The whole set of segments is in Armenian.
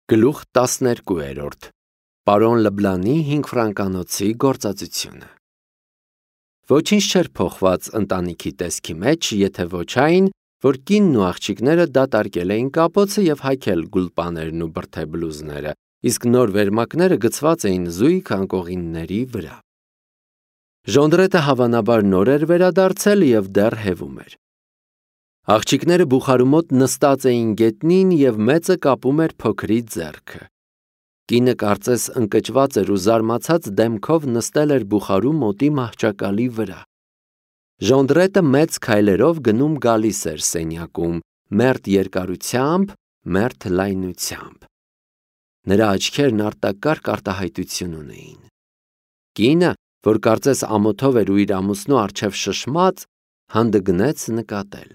Գլուխ 12 Պարոն Լբլանի 5 ֆրանկանոցի գործածությունը Ոչինչ չէր փոխված ընտանիքի տեսքի մեջ, եթե ոչ այն, որ կինն ու աղջիկները դատարկել էին կապոցը և հայքել գուլպաներն ու բրդե բլուզները, իսկ նոր վերմակները գցված էին զույգ անկողինների վրա։ Ժոնդրետը հավանաբար նոր էր վերադարձել և դեռ հևում էր։ Աղջիկները բուխարու մոտ նստած էին գետնին և մեծը կապում էր փոքրի ձեռքը։ Կինը կարծես ընկճված էր ու զարմացած դեմքով նստել էր բուխարու մոտի մահճակալի վրա։ Ժոնդրետը մեծ քայլերով գնում գալիս էր սենյակում, մերթ երկարությամբ, մերթ լայնությամբ։ Նրա աչքերն արտակարգ արտահայտություն ունեին։ Կինը, որ կարծես ամոթով էր ու իր ամուսնու առջև շշմած, հանդգնեց նկատել։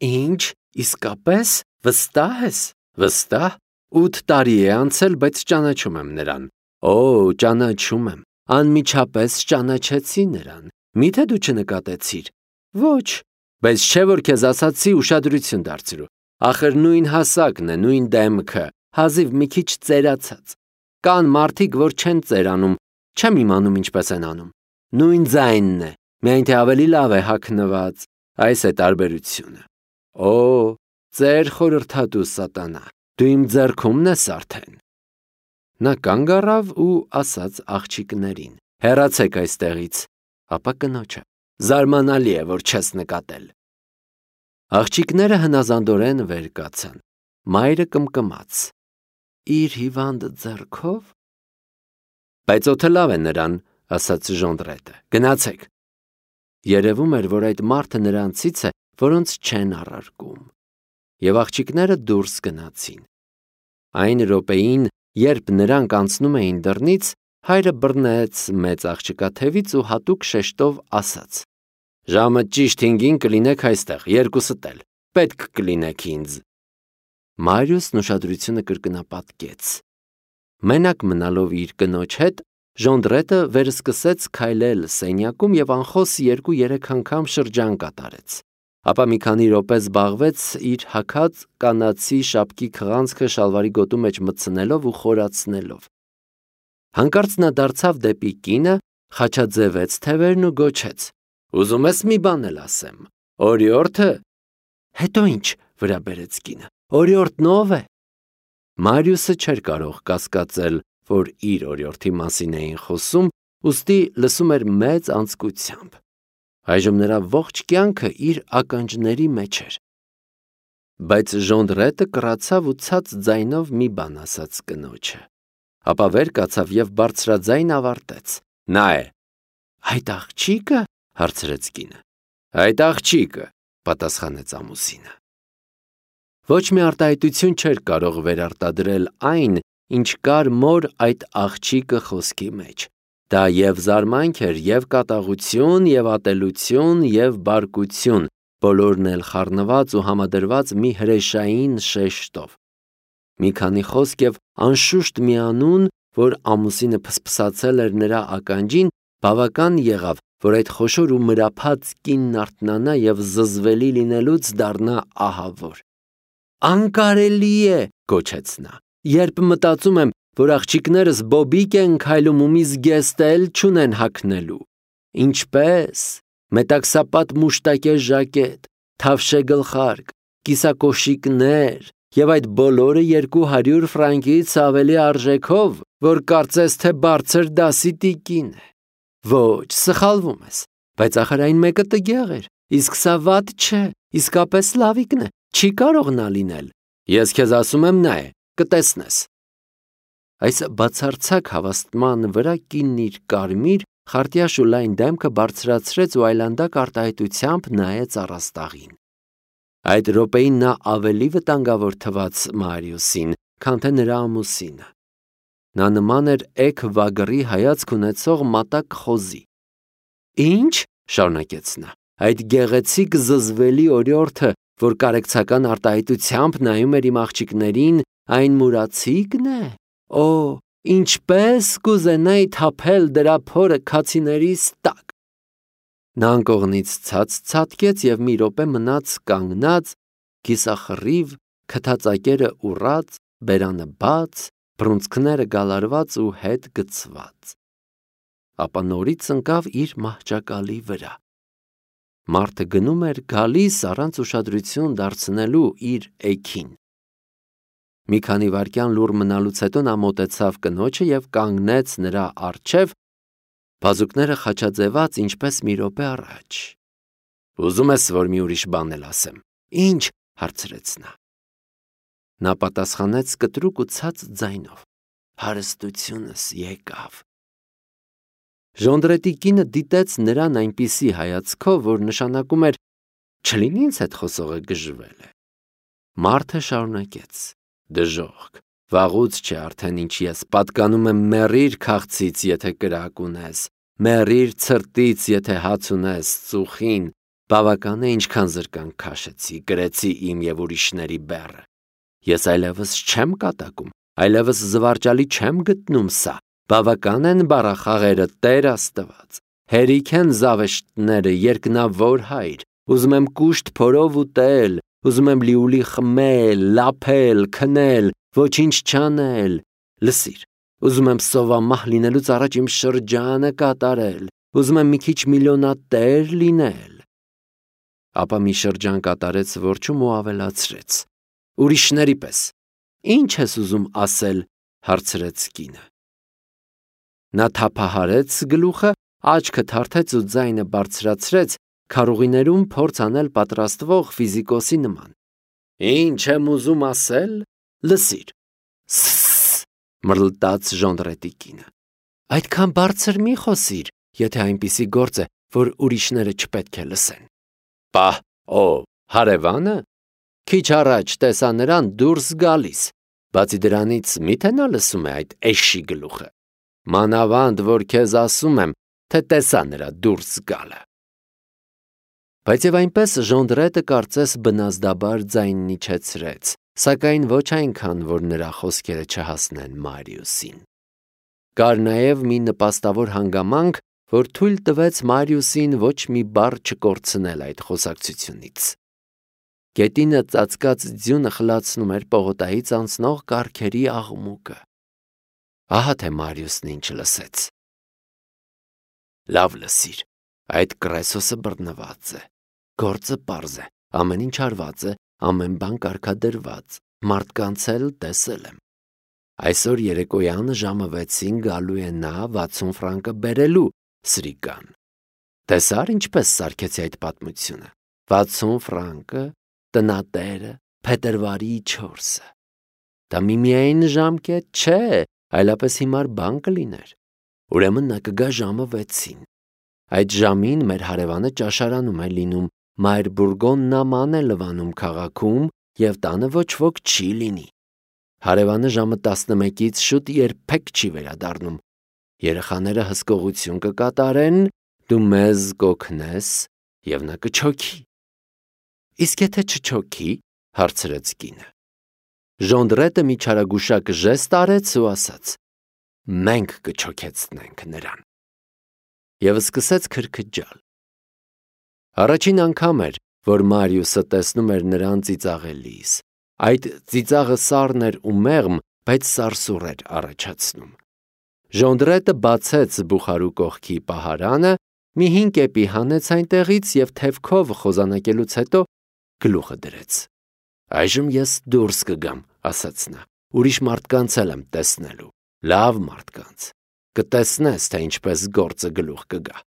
Ինչ, իսկապես, վստահ ես, վստահ, 8 տարի է անցել, բայց ճանաչում եմ նրան։ Օ, ճանաչում եմ, անմիջապես ճանաչեցի նրան, միթե դու չնկատեցիր։ Ոչ, բայց չէ որ քեզ ասացի ուշադրություն դարձրու, ախր նույն հասակն է, նույն դեմքը, հազիվ մի քիչ ծերացած։ Կան մարդիկ, որ չեն ծերանում, չեմ իմանում ինչպես են անում։ Նույն ձայնն է, միայն թե ավելի լավ է հագնված, այս է տարբերությունը։ Օ, ծեր խորհրդատու սատանա, դու իմ ձեռքումն ես արդեն։ Նա կանգ առավ ու ասաց աղջիկներին. Հեռացեք այստեղից, ապա կնոջը. Զարմանալի է, որ չես նկատել։ Աղջիկները հնազանդորեն վեր կացան։ Մայրը կմկմաց. Իր հիվանդ ձեռքով։ Բայց օդը լավ է նրան, ասաց Ժոնդրետը, գնացեք։ Երևում էր, որ այդ մարդը նրանցից է, որոնց չեն առարկում։ Եվ աղջիկները դուրս գնացին։ Այն րոպեին, երբ նրանք անցնում էին դռնից, հայրը բռնեց մեծ աղջկա թևից ու հատուկ շեշտով ասաց. Ժամը ճիշտ 5-ին կլինեք այստեղ, երկուսդ էլ, պետք կլինեք ինձ։ Մարիուսն ուշադրությունը կրկնապատկեց։ Մենակ մնալով իր կնոջ հետ, Ժոնդրետը վերսկսեց քայլել սենյակում և անխոս 2-3 անգամ շրջան կատարեց։ Ապա մի քանի րոպե զբաղվեց իր հագած կանացի շապկի քղանցքը շալվարի գոտու մեջ մտցնելով ու խորացնելով։ Հանկարծ նա դարձավ դեպի կինը, խաչաձևեց թևերն ու գոչեց. Ուզում ես մի բան էլ ասեմ, օրիորդը։ Հետո ինչ, վրա բերեց կինը, օրիորդն ով է։ Մարիուսը չէր կարող կասկածել, որ իր օրիորդի մասին էին խոսում, ուստի լսում էր մեծ անձկությամբ։ Այժմ նրա ողջ կյանքը իր ականջների մեջ էր։ Բայց Ժոնդրետը կռացավ ու ցած ձայնով մի բան ասաց կնոջը։ Ապա վեր կացավ և բարձրաձայն ավարտեց. Նա է։ Այդ աղջիկը, հարցրեց կինը։ Այդ աղջիկը, պատասխանեց ամուսինը։ Ոչ մի արտահայտություն չէր կարող վերարտադրել այն, ինչ կար մոր այդ աղջիկը խոսքի մեջ։ Դա և զարմանք էր, և կատաղություն, և ատելություն, և բարկություն, բոլորն էլ խառնված ու համադրված մի հրեշային շեշտով։ Մի քանի խոսք և անշուշտ մի անուն, որ ամուսինը փսփսացել էր նրա ականջին, բավական եղավ, որ այդ խոշոր ու մրափած կինն արթնանա և զզվելի լինելուց դառնա ահավոր։ Անկարելի է, գոչեց նա, երբ մտածում եմ, որ աղջիկներս բոբիկ են քայլում ու մի զգեստ էլ չունեն հագնելու։ Ինչպես, մետաքսապատ մուշտակե ժակետ, թավշե գլխարկ, կիսակոշիկներ և այդ բոլորը 200 ֆրանկից ավելի արժեքով, որ կարծես թե բարձր դասի տիկին է։ Ոչ, սխալվում ես, բայց ախր այն մեկը տգեղ էր, իսկ սա վատ չէ, իսկապես լավիկն է, չի կարող նա լինել։ Ես քեզ ասում եմ նա է, կտեսնես։ Այս բացարձակ հավաստման վրա կինն իր կարմիր, խարտյաշ ու լայն դեմքը բարձրացրեց ու այլանդակ արտահայտությամբ նայեց առաստաղին։ Այդ րոպեին նա ավելի վտանգավոր թվաց Մարիուսին, քան թե նրա ամուսինը։ Նա նման էր էգ վագրի հայացք ունեցող մատակ խոզի։ Ինչ, շարունակեց նա, այդ գեղեցիկ զզվելի օրիորդը, որ կարեկցական արտահայտությամբ նայում էր իմ աղջիկներին, այն մուրացիկն է։ Օ, ինչպես կուզենայի թափել դրա փորը քացիներիս տակ։ Նա անկողնից ցած ցատկեց և մի րոպե մնաց կանգնած, կիսախռիվ, քթածակերը ուռած, բերանը բաց, բռունցքները գալարված ու հետ գցված։ Ապա նորից ընկավ իր մահճակալի վրա։ Մարդը գնում էր գալիս առանց ուշադրություն դարձնելու իր էգին։ Մի քանի վայրկյան լուռ մնալուց հետո նա մոտեցավ կնոջը և կանգնեց նրա առջև, բազուկները խաչաձևած ինչպես մի րոպե առաջ։ «Ուզում ես, որ մի ուրիշ բան էլ ասեմ»։ «Ինչ»։ հարցրեց նա։ Նա պատասխանեց կտրուկ ու ցած ձայնով. «Հարստությունս եկավ»։ Ժոնդրետի կինը դիտեց նրան այնպիսի հայացքով, որ նշանակում էր չլինի ինձ հետ խոսողը գժվել է։ Մարդը շարունակեց. «Դժոխք, վաղուց չէ արդեն ինչ ես պատկանում եմ մեռիր քաղցից, եթե կրակ ունես, մեռիր ցրտից, եթե հաց ունես, ծուխին, բավական է ինչքան զրկանք քաշեցի, գրեցի իմ և ուրիշների բեռը։ Ես այլևս չեմ կատակում, այլևս զվարճալի չեմ գտնում սա, բավական են բառախաղերը, Տեր Աստված, հերիք են զավեշտները, երկնավոր Հայր, ուզում եմ կուշտ փորով ուտել, ուզում եմ լիուլի խմել, լափել, քնել, ոչինչ չանել, լսիր, ուզում եմ սովամահ լինելուց առաջ իմ շրջանը կատարել, ուզում եմ մի քիչ միլիոնատեր լինել»։ Ապա մի շրջան կատարեց որջում ու ավելացրեց. «Ուրիշների պես, ի՞նչ ես ուզում ասել»։ հարցրեց կինը։ Նա թափահարեց գլուխը, աչքը թարթեց ու ձայնը բարձրացրեց, քարուղիներում փորձ անել պատրաստվող ֆիզիկոսի նման։ «Ինչ եմ ուզում ասել, լսիր»։ «Սսս», մռլտաց Ժոնդրետի կինը։ «Այդքան բարձր մի խոսիր, եթե այնպիսի գործ է, որ ուրիշները չպետք է լսեն»։ «Պահ, ով, հարևանը։ Քիչ առաջ տեսա նրան դուրս գալիս, բացի դրանից միթե նա լսում է այդ էշի գլուխը։ Մանավանդ, որ քեզ ասում եմ, թե տեսա նրա դուրս գալը»։ Բայց և այնպես Ժոնդրետը կարծես բնազդաբար ձայնն իջեցրեց, սակայն ոչ այնքան, որ նրա խոսքերը չհասնեն Մարիուսին։ Կար նաև մի նպաստավոր հանգամանք, որ թույլ տվեց Մարիուսին ոչ մի բառ չկորցնել այդ խոսակցությունից։ Գետինը ծածկած ձյունը խլացնում էր պողոտայից անցնող կառքերի աղմուկը։ Ահա թե Մարիուսն ինչ լսեց։ «Լավ լսիր, այդ Կրեսոսը բռնված է, գործը պարզ է, ամեն ինչ արված է, ամեն բան կարգադրված, մարդկանց էլ տեսել եմ։ Այսօր երեկոյան ժամը 6-ին գալու է նա 60 ֆրանկը բերելու, սրիկան։ Տեսա՞ր ինչպես սարքեցի այդ պատմությունը, 60 ֆրանկը, տնատերը, փետրվարի 4-ը։ Դա միմիայն ժամկետ չէ, այլապես հիմար բան կլիներ։ Ուրեմն նա կգա ժամը 6-ին։ Այդ ժամին մեր հարևանը ճաշարանում է լինում, Մայր Բուրգոն նաման է լվանում քաղաքում և տանը ոչ ոք չի լինի։ Հարևանը ժամը 11-ից շուտ երբեք չի վերադառնում։ Երեխաները հսկողություն կկատարեն, դու մեզ կօգնես և նա կչոքի։ Իսկ եթե չչոքի, հարցրեց կինը։ Ժոնդրետը մի չարագուշակ ժեստ արեց ու ասաց. մենք կչոքեցնենք նրան։ Եվ սկսեց քրքջալ։ Առաջին անգամ էր, որ Մարիուսը տեսնում էր նրան ծիծաղելիս։ Այդ ծիծաղը սառն էր ու մեղմ, բայց սարսուռ էր առաջացնում։ Ժոնդրետը բացեց բուխարու կողքի պահարանը, մի 5 կեպի հանեց այնտեղից և թևքով խոզանակելուց հետո գլուխը դրեց։ Այժմ ես դուրս կգամ, ասաց նա, ուրիշ մարդկանց էլ եմ տեսնելու, լավ մարդկանց, կտեսնես, թե ինչպես գործը գլուխ կգա,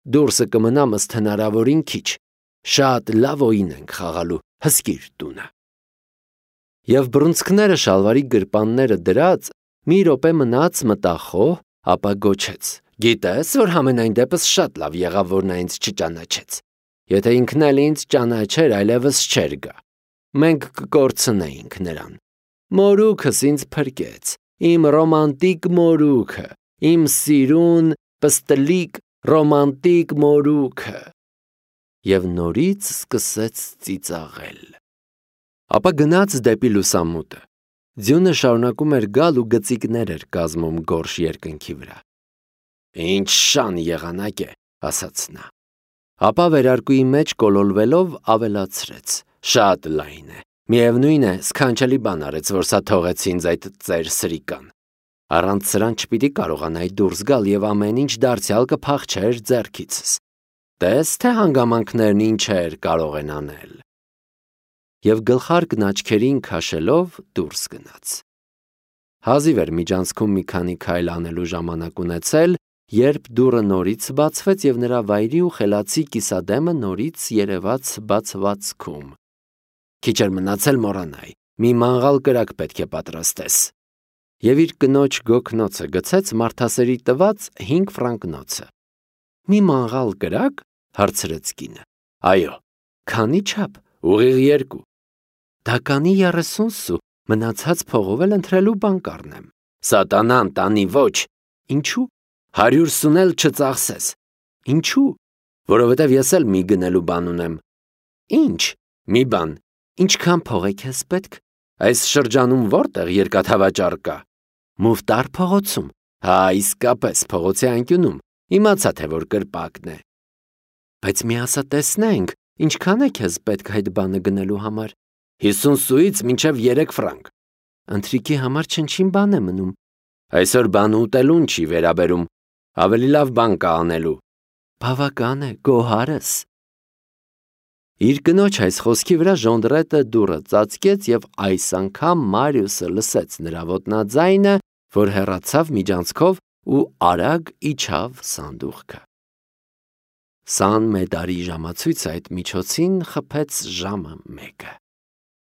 դուրսը կմնամ ըստ հնարավորին քիչ, շատ լավ օին ենք խաղալու, հսկիր տունը։ Եվ բռունցքները շալվարի գրպանները դրած, մի րոպե մնաց մտախոհ, ապա գոչեց. գիտես, որ համենայն դեպս շատ լավ եղավ, որ նա ինձ չճանաչեց, եթե ինքն էլ ինձ ճանաչեր, այլևս չէր գա, մենք կկորցնեինք նրան, մորուքս ինձ փրկեց, իմ ռոմանտիկ մորուքը, իմ սիրուն, պստլիկ, ռոմանտիկ մորուքը։ Եվ նորից սկսեց ծիծաղել։ Ապա գնաց դեպի լուսամուտը։ Ձյունը շարունակում էր գալ ու գծիկներ էր կազմում գորշ երկնքի վրա։ Ինչ շան եղանակ է, ասաց նա։ Ապա վերարկուի մեջ կոլոլվելով ավելացրեց. շատ լայն է, Միևնույն է, սքանչելի բան արեց, որ սա թողեց ինձ այդ ծեր սրիկան։ Առանց սրան չպիտի կարողանայի դուրս գալ եւ ամեն ինչ դարձյալ կփախչեր ձեռքիցս։ Տես թե հանգամանքներն ինչեր կարող են անել։ Եվ գլխարկն աչքերին քաշելով դուրս գնաց։ Հազիվ էր միջանցքում մի քանի քայլ անելու ժամանակ ունեցել, երբ դուռը նորից բացվեց եւ նրա վայրի ու խելացի կիսադեմը նորից երևաց բացվածքում։ Քիչ էր մնացել մոռանայի, մի մանղալ կրակ պետք է պատրաստես։ Եվ իր կնոջ գոքնոցը գցեց մարդասերի տված 5 ֆրանկնոցը։ Մի մանղալ կրակ, հարցրեց կինը։ Այո, քանի չափ, ուղիղ 2։ Դականի 30 սու, մնացած փողով էլ ընտրելու բան կառնեմ։ Սատանան տանի ոչ։ Ինչու՞։ 100 սուն էլ չծախսես։ Ինչու՞։ Որովհետև ես էլ մի գնելու բան ունեմ։ Ինչ։ Մի բան։ Ինչքան փող է քեզ պետք։ Այս շրջանում որտեղ երկաթավաճառ կա։ Մուֆտար փողոցում։ Հա, իսկապես փողոցի անկյունում։ Իմացա թե որ կրպակն է։ Բայց մի ասա տեսնենք, ինչքան է քեզ պետք այդ բանը գնելու համար։ 50 սուից մինչև 3 ֆրանկ։ Ընթրիքի համար չնչին բան է մնում։ Այսօր բան ուտելուն չի վերաբերում։ Ավելի լավ բան կա անելու։ Բավական է, գոհարս։ Իր կնոջ այս խոսքի վրա ժոնդրետը դուռը ծածկեց եւ այս անգամ Մարիուսը լսեց նրա ոտնաձայնը, որ հեռացավ միջանցքով ու արագ իջավ սանդուղքը։ 20 մեդարի ժամացույցը այդ միջոցին խփեց ժամը 1-ը։